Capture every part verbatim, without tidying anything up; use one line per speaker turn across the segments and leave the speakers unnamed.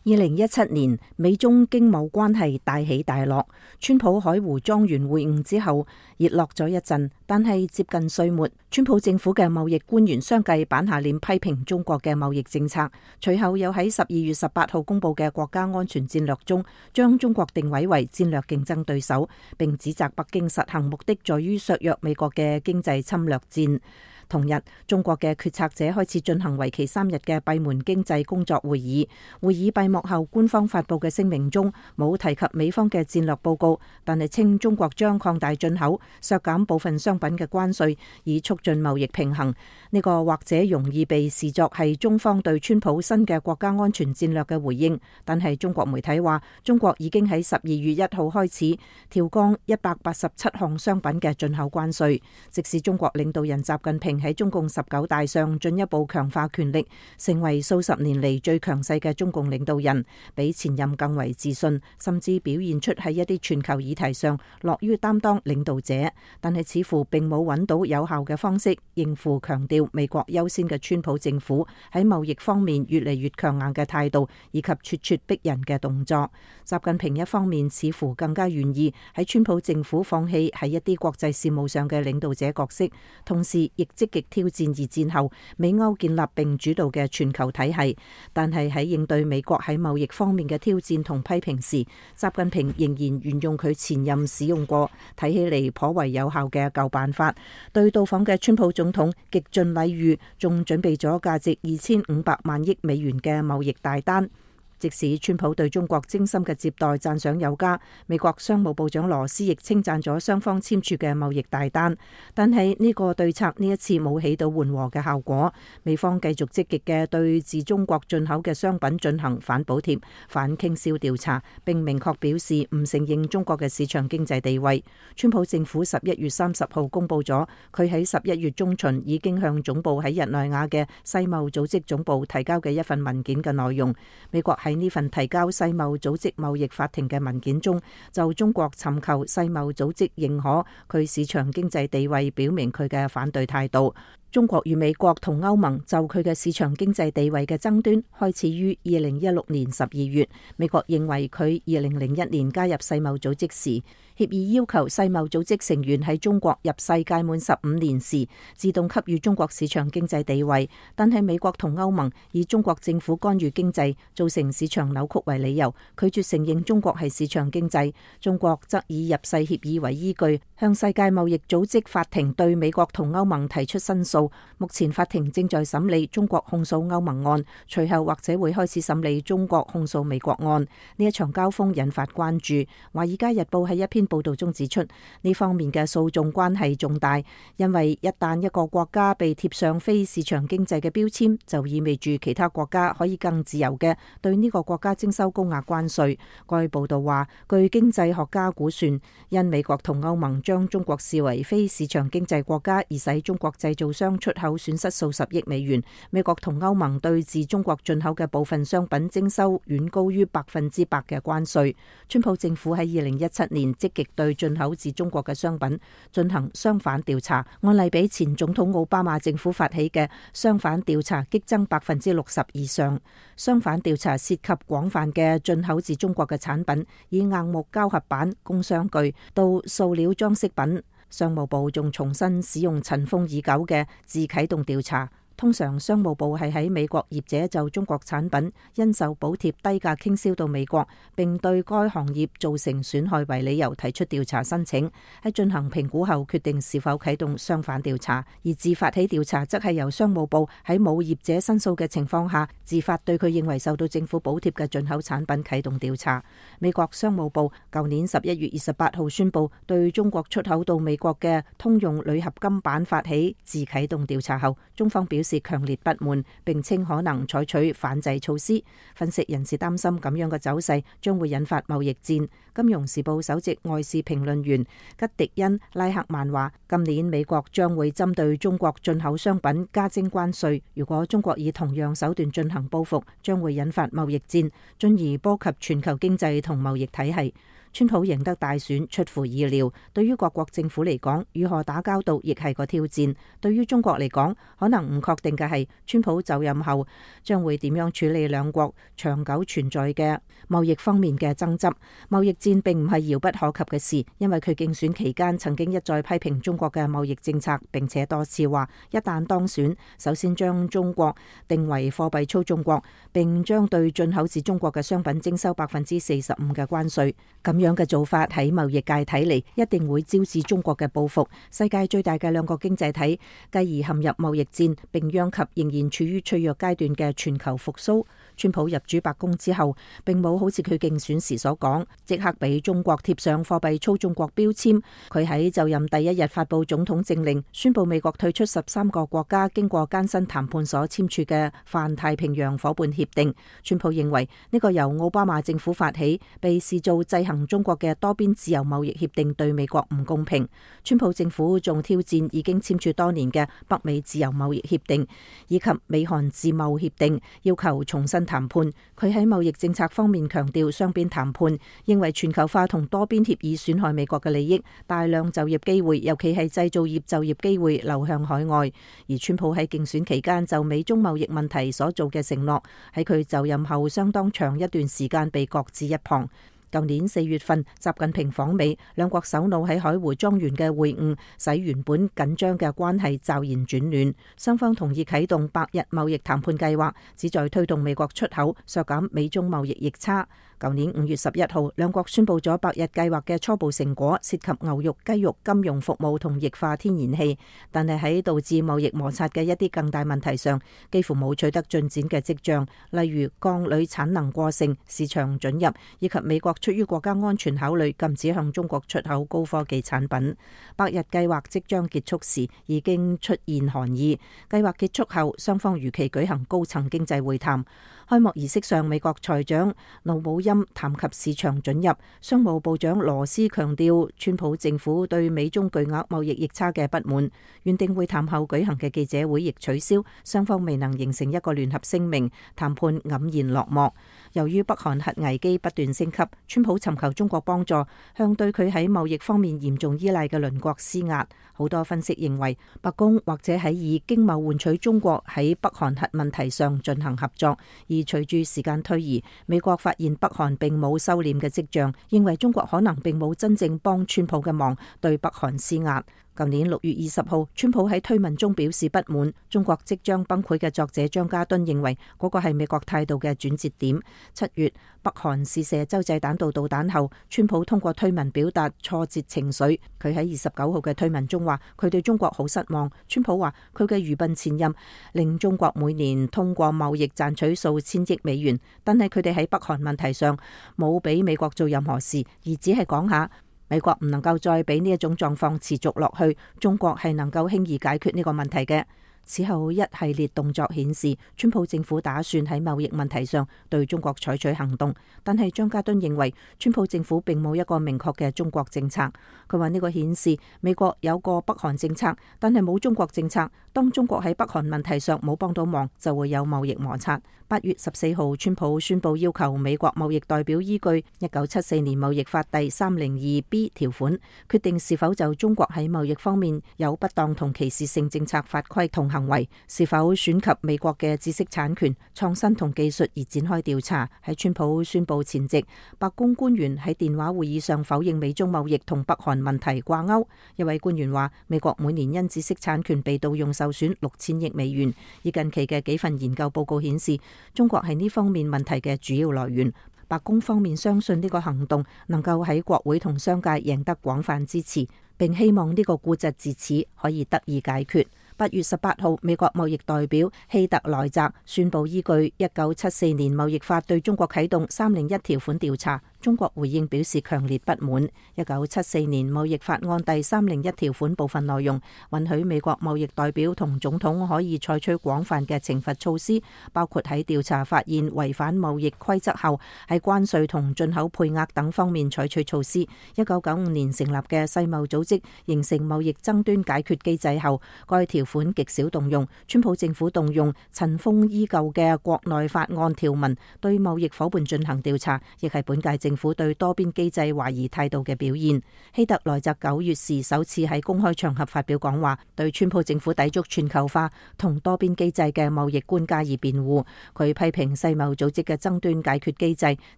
二零一七年，美中經貿關係大起大落。川普海湖莊園會晤之後，熱絡咗一陣，但係接近歲末，川普政府嘅貿易官員相繼板下臉批評中國嘅貿易政策。隨後又喺十二月十八號公佈嘅國家安全戰略中，將中國定位為戰略競爭對手，並指責北京實行目的在於削弱美國嘅經濟侵略戰。同日，中國嘅決策者開始進行為期三日嘅閉門經濟工作會議。會議閉幕後，官方發佈嘅聲明中冇提及美方嘅戰略報告，但係稱中國將擴大進口、削減部分商品嘅關稅，以促進貿易平衡。呢個或者容易被視作係中方對川普新嘅國家安全戰略嘅回應，但係中國媒體話，中國已經喺十二月一號開始調降一百八十七項商品嘅進口關稅。即使中國領導人習近平喺中共十九大上進一步強化權力，成為數十年嚟最強勢嘅中共領導人，比前任更為自信，甚至表現出喺一啲全球議題上樂於擔當領導者，但係似乎並冇揾到有效嘅方式應付強調美國優先嘅川普政府喺貿易方面越嚟越強硬嘅態度，以及咄咄逼人嘅動作。習近平一方面似乎更加願意喺川普政府放棄喺一啲國際事務上嘅領導者角色，同時亦積極挑戰二戰後美歐建立並主導嘅全球體系。但係喺應對美國喺貿易方面嘅挑戰同批評時，習近平仍然沿用佢前任使用過睇起嚟頗為有效嘅舊辦法，對到訪嘅川普總統極盡禮遇，仲準備咗價值二千五百萬億美元嘅貿易大單。即使川普對中國精心嘅接待讚賞有加，美國商務部長羅斯亦稱讚咗雙方簽署嘅貿易大單，但係呢個對策呢一次冇起到緩和嘅效果。美方繼續積極嘅對自中國進口嘅商品進行反補貼、反傾銷調查，並明確表示唔承認中國嘅市場經濟地位。川普政府十一月三十號公佈咗佢喺十一月中旬已經向總部喺日內瓦嘅世貿組織總部提交嘅一份文件嘅內容。美國喺呢份提交世貿組織貿易法庭嘅文件中，就中國尋求世貿組織認可佢市場經濟地位，表明佢嘅反對態度。中國與美國同歐盟就佢嘅市場經濟地位嘅爭端開始於二零一六年十二月。美國認為佢二零零一年加入世貿組織時，協議要求世貿組織成員喺中國入世屆滿十五年時自動給予中國市場經濟地位，但係美國同歐盟以中國政府干預經濟造成市場扭曲為理由，拒絕承認中國係市場經濟。中國則以入世協議為依據，向世界貿易組織法庭對美國同歐盟提出申訴。目前法庭正在審理中國控訴歐盟案，隨後或者會開始審理中國控訴美國案。呢一場交鋒引發關注。華爾街日報喺一篇報道中指出，呢方面嘅訴訟關係重大，因為一旦一個國家被貼上非市場經濟嘅標籤，就意味住其他國家可以更自由嘅對呢個國家徵收高額關稅。該報道話，據經濟學家估算，因美國同歐盟將中國視為非市場經濟國家，而使中國製造商出口損失數十億美元。美國同歐盟對自中國進口嘅部分商品徵收遠高於百分之百嘅關稅。川普政府喺二零一七年積極對進口自中國嘅商品進行相反調查，案例比前總統奧巴馬政府發起嘅相反調查激增百分之六十以上。相反調查涉及廣泛嘅進口自中國嘅產品，以硬木膠合板、工商具到塑料裝飾品。商務部仲重新使用塵封已久嘅自啟動調查。通常商務部係喺美國業者就中國產品因受補貼低價傾銷到美國，並對該行業造成損害為理由提出調查申請，喺進行評估後決定是否啟動相反調查。而自發起調查則係由商務部喺冇業者申訴嘅情況下，自發對佢認為受到政府補貼嘅進口產品啟動調查。美國商務部舊年十一月二十八號宣布對中國出口到美國嘅通用鋁合金板發起自啟動調查後，中方表示是強烈不滿，並稱可能採取反制措施。分析人士擔心咁樣嘅走勢將會引發貿易戰。金融時報首席外事評論員吉迪恩拉克曼話，今年美國將會針對中國進口商品加徵關稅，如果中國以同樣手段進行報復，將會引發貿易戰，進而波及全球經濟同貿易體系。川普贏得大選出乎意料，對於各國政府嚟講，如何打交道亦係個挑戰。對於中國嚟講，可能唔確定嘅係川普就任後將會點樣處理兩國長久存在嘅貿易方面嘅爭執。貿易戰並唔係遙不可及嘅事，因為佢競選期間曾經一再批評中國嘅貿易政策，並且多次話一旦當選，首先將中國定為貨幣操縱國，並將對進口自中國嘅商品徵收百分之四十五嘅關稅。咁樣嘅做法喺貿易界睇嚟，一定會招致中國嘅報復。世界最大嘅兩個經濟體繼而陷入貿易戰，並殃及仍然處於脆弱階段嘅全球復甦。川普入主白宮之後，並冇好似佢競選時所講，即刻俾中國貼上貨幣操縱國標籤。佢喺就任第一日發布總統政令，宣布美國退出十三個國家經過艱辛談判所簽署嘅泛太平洋夥伴協定。川普認為呢個由奧巴馬政府發起，被視做制衡中國嘅多邊自由貿易協定對美國唔公平。川普政府仲挑戰已經簽署多年嘅北美自由貿易協定以及美韓自貿協定，要求重新談判。佢喺貿易政策方面強調雙邊談判，認為全球化同多邊協議損害美國嘅利益，大量就業機會，尤其係製造業就業機會流向海外。而川普喺競選期間就美中貿易問題所做嘅承諾，喺佢就任後相當長一段時間被擱置一旁。舊年四月份，習近平訪美，兩國首腦喺海湖莊園嘅會晤，使原本緊張嘅關係驟然轉暖。雙方同意啟動百日貿易談判計劃，旨在推動美國出口，削減美中貿易逆差。舊年五月十一號，兩國宣布咗百日計劃嘅初步成果，涉及牛肉、雞肉、金融服務同液化天然氣，但係喺導致貿易摩擦嘅一啲更大問題上，幾乎冇取得進展嘅跡象，例如鋼鋁產能過剩、市場准入，以及美國出於國家安全考慮禁止向中國出口高科技產品。百日計劃即將結束時，已經出現寒意。計劃結束後，雙方如期舉行高層經濟會談。開幕儀式上，美國財長盧武欽談及市場准入，商務部長羅斯強調川普政府對美中巨額貿易逆差嘅不滿。原定會談後舉行嘅記者會亦取消，雙方未能形成一個聯合聲明，談判黯然落幕。由於北韓核危機不斷升級，川普尋求中國幫助，向對佢喺貿易方面嚴重依賴嘅鄰國施壓。好多分析認為，白宮或者喺以經貿換取中國喺北韓核問題上進行合作。而隨住時間推移，美國發現北韓並冇收斂嘅跡象，認為中國可能並冇真正幫川普嘅忙，對北韓施壓。舊年六月二十號，川普喺推文中表示不滿，中國即將崩潰嘅作者張家敦認為嗰個係美國態度嘅轉折點。七月，北韓試射洲際彈道導彈後，川普通過推文表達挫折情緒。佢喺二十九號嘅推文中話，佢對中國好失望。川普話佢嘅愚笨前任令中國每年通過貿易賺取數千億美元，但係佢哋喺北韓問題上冇俾美國做任何事，而只係講下。美國唔能夠再俾呢一種狀況持續落去，中國係能夠輕易解決呢個問題嘅。此後一系列動作顯示，川普政府打算喺貿易問題上對中國採取行動，但係張家敦認為川普政府並冇一個明確嘅中國政策。佢話呢個顯示美國有個北韓政策，但係冇中國政策。當中國喺北韓問題上冇幫到忙，就會有貿易摩擦。八月十四號，川普宣布要求美國貿易代表依據一九七四年貿易法第三零二 B 條款，決定是否就中國喺貿易方面有不當同歧視性政策法規同行為，是否損及美國嘅知識產權、創新同技術而展開調查。喺川普宣布前夕，白宮官員喺電話會議上否認美中貿易同北韓問題掛鈎。一位官員話，美國每年因知識產權被盜用受損六千億美元。而近期嘅幾份研究報告顯示，中國係呢方面問題嘅主要來源。白宮方面相信呢個行動能夠喺國會同商界贏得廣泛支持，並希望呢個痼疾自此可以得以解決。八月十八號，美國貿易代表希特萊澤宣布依據一九七四年貿易法對中國啟動三零一條款調查。中國回應表示強烈不滿。一九七四年貿易法案第三零一條款部分內容允許美國貿易代表同總統可以採取廣泛嘅懲罰措施，包括喺調查發現違反貿易規則後，喺關稅同進口配額等方面採取措施。一九九五年成立嘅世貿組織形成貿易爭端解決機制後，該條款極少動用。川普政府動用塵封已久嘅國內法案條文對貿易夥伴進行調查，亦係本屆政政府對多邊機制懷疑態度嘅表現。希特萊澤九月時首次喺公開場合發表講話，對川普政府抵觸全球化同多邊機制嘅貿易觀加以辯護。佢批評世貿組織嘅爭端解決機制，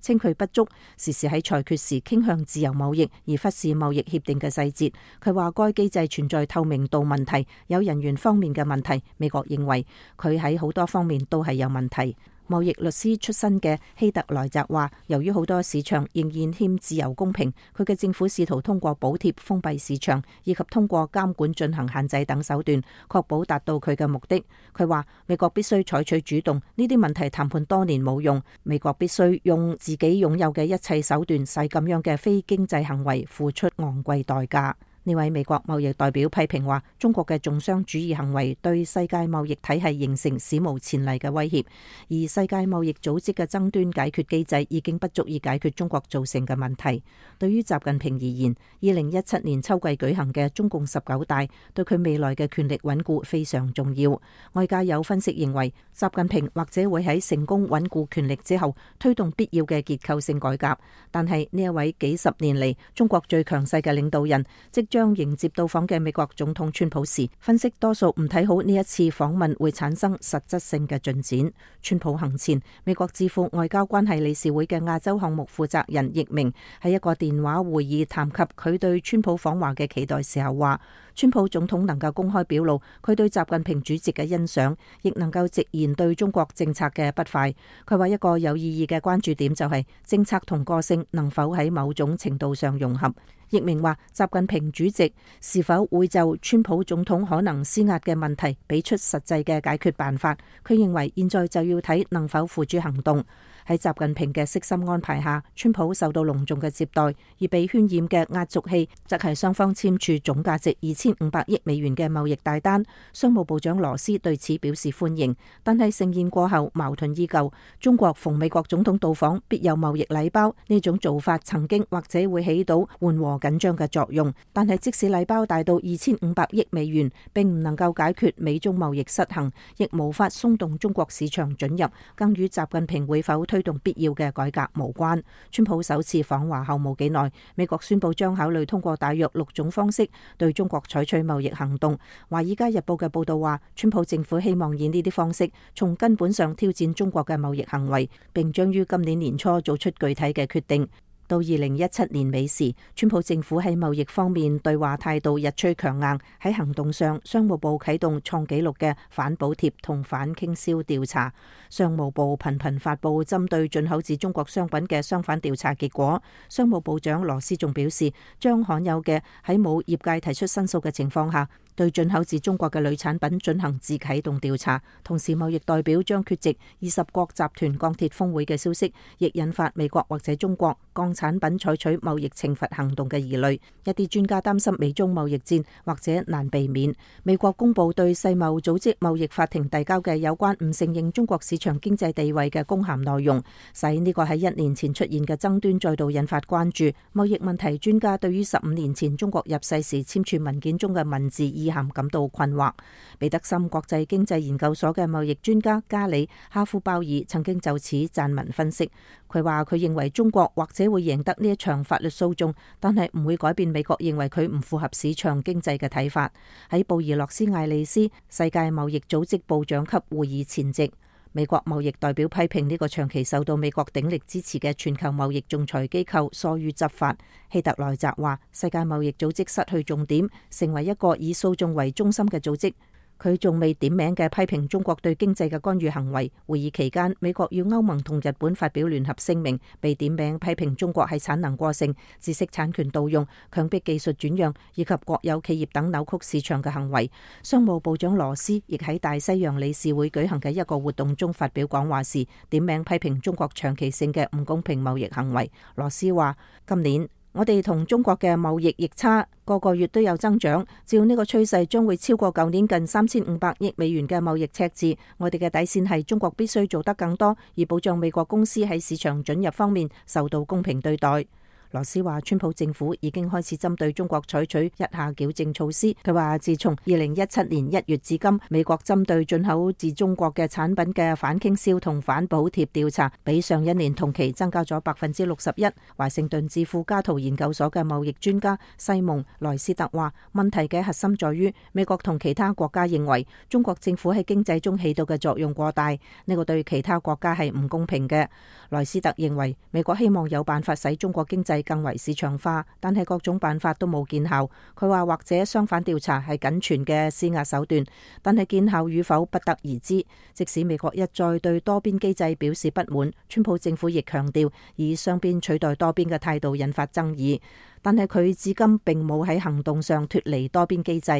稱佢不足，時時喺裁決時傾向自由貿易而忽視貿易協定嘅細節。佢話該機制存在透明度問題，有人員方面嘅問題。美國認為佢喺好多方面都係有問題。貿易律師出身嘅希特萊澤話，由於好多市場仍然欠自由公平，佢嘅政府試圖通過補貼封閉市場，以及通過監管進行限制等手段，確保達到佢嘅目的。佢話美國必須採取主動，呢啲問題談判多年冇用，美國必須用自己擁有嘅一切手段，使咁樣嘅非經濟行為付出昂貴代價。呢位美國貿易代表批評話，中國嘅重商主義行為對世界貿易體系形成史無前例嘅威脅，而世界貿易組織嘅爭端解決機制已經不足以解決中國造成嘅問題。對於習近平而言，二零一七年秋季舉行嘅中共十九大對佢未來嘅權力穩固非常重要。外界有分析認為，習近平或者會喺成功穩固權力之後推動必要嘅結構性改革，但係呢一位幾十年嚟中國最強勢嘅領導人即將將迎接到訪嘅美國總統川普時，分析多數唔睇好呢一次訪問會產生實質性嘅進展。川普行前，美國智庫外交關係理事會嘅亞洲項目負責人易明喺一個電話會議談及佢對川普訪華嘅期待時候話，川普總統能夠公開表露佢對習近平主席嘅欣賞，亦能夠直言對中國政策嘅不快。佢話一個有意義嘅關注點就係政策同個性能否喺某種程度上融合。易明話，習近平主席是否會就川普總統可能施壓嘅問題俾出實際嘅解決辦法？佢認為現在就要睇能否付諸行動。喺習近平嘅悉心安排下，川普受到隆重嘅接待，而被渲染嘅壓軸戲則係雙方簽署總價值二千五百億美元嘅貿易大單。商務部長羅斯對此表示歡迎，但係盛宴過後矛盾依舊。中國逢美國總統到訪必有貿易禮包，呢種做法曾經或者會起到緩和緊張嘅作用，但係即使禮包大到二千五百億美元，並唔能夠解決美中貿易失衡，亦無法鬆動中國市場准入，更與習近平會否推動必要嘅改革無關。川普首次訪華後冇幾耐，美國宣布將考慮通過大約六種方式對中國採取貿易行動。華爾街日報嘅報道話，川普政府希望以呢啲方式從根本上挑戰中國嘅貿易行為，並將於今年年初做出具體嘅決定。到二零一七年尾時，川普政府喺貿易方面對話態度日趨強硬。喺行動上，商務部啟動創紀錄嘅反補貼同反傾銷調查。商務部頻頻發布針對進口自中國商品嘅相反調查結果。商務部長羅斯仲表示，將罕有嘅喺冇業界提出申訴嘅情況下，對進口自中國嘅鋁產品進行自啟動調查。同時，貿易代表將缺席二十國集團鋼鐵峰會嘅消息，亦引發美國或者中國鋼產品採取貿易懲罰行動嘅疑慮。一啲專家擔心美中貿易戰或者難避免。美國公布對世貿組織貿易法庭遞交嘅有關唔承認中國市場經濟地位嘅公函內容，使呢個喺一年前出現嘅爭端再度引發關注。貿易問題專家對於十五年前中國入世時簽署文件中嘅文字意涵感到困惑。彼得森國際經濟研究所嘅貿易專家加里哈夫鮑爾曾經就此撰文分析。佢話佢認為中國或者會贏得呢一場法律訴訟，但係唔會改變美國認為佢唔符合市場經濟嘅睇法。喺布宜諾斯艾利斯世界貿易組織部長級會議前夕，美國貿易代表批評呢個長期受到美國鼎力支持嘅全球貿易仲裁機構疏於執法。希特萊澤話，世界貿易組織失去重點，成為一個以訴訟為中心嘅組織。佢仲未點名嘅批評中國對經濟嘅干預行為。會議期間，美國與歐盟同日本發表聯合聲明，被點名批評中國喺產能過剩、知識產權盜用、強迫技術轉讓以及國有企業等扭曲市場嘅行為。商務部長羅斯亦喺大西洋理事會舉行嘅一個活動中發表講話時，點名批評中國長期性嘅唔公平貿易行為。羅斯話：今年我哋同中國嘅貿易逆差個個月都有增長，照呢個趨勢將會超過舊年近三千五百億美元嘅貿易赤字。我哋嘅底線係中國必須做得更多，以保障美國公司喺市場准入方面受到公平對待。羅斯話，川普政府已經開始針對中國採取一下矯正措施。佢話，自從二零一七年一月至今，美國針對進口自中國嘅產品嘅反傾銷同反補貼調查，比上一年同期增加咗百分之六十一。華盛頓智庫加圖研究所嘅貿易專家西蒙萊斯特話，問題嘅核心在於美國同其他國家認為中國政府喺經濟中起到嘅作用過大，呢個對其他國家係唔公平嘅。萊斯特認為美國希望有辦法使中國經濟更為市場化，但係各種辦法都冇見效。佢話，或者相反調查係僅存嘅施壓手段，但係見效與否不得而知。即使美國一再對多邊機制表示不滿，川普政府亦強調以雙邊取代多邊嘅態度引發爭議，但係佢至今並冇喺行動上脫離多邊機制。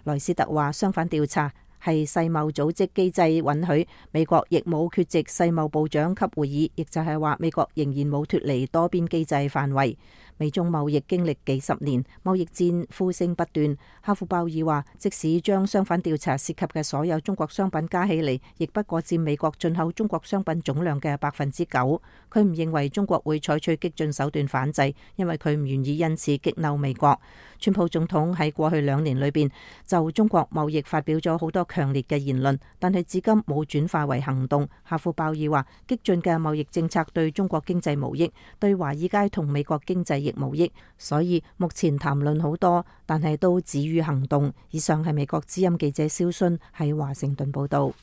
萊斯特話，相反調查係世貿組織機制允許，美國亦冇缺席世貿部長級會議，亦就係話美國仍然冇脫離多邊機制範圍。美中貿易經歷幾十年，貿易戰呼聲不斷。哈夫鮑爾話，即使將相反調查涉及嘅所有中國商品加起嚟，亦不過佔美國進口中國商品總量嘅百分之九。佢唔認為中國會採取激進手段反制，因為佢唔願意因此激嬲美國。川普總統喺過去兩年裏邊就中國貿易發表咗好多強烈嘅言論，但係至今冇轉化為行動。哈夫鮑爾話，激進嘅貿易政策對中國經濟無益，對華爾街同美國經濟亦無益，所以目前談論好多，但係都止於行動。以上係美國之音記者蕭순喺華盛頓報道。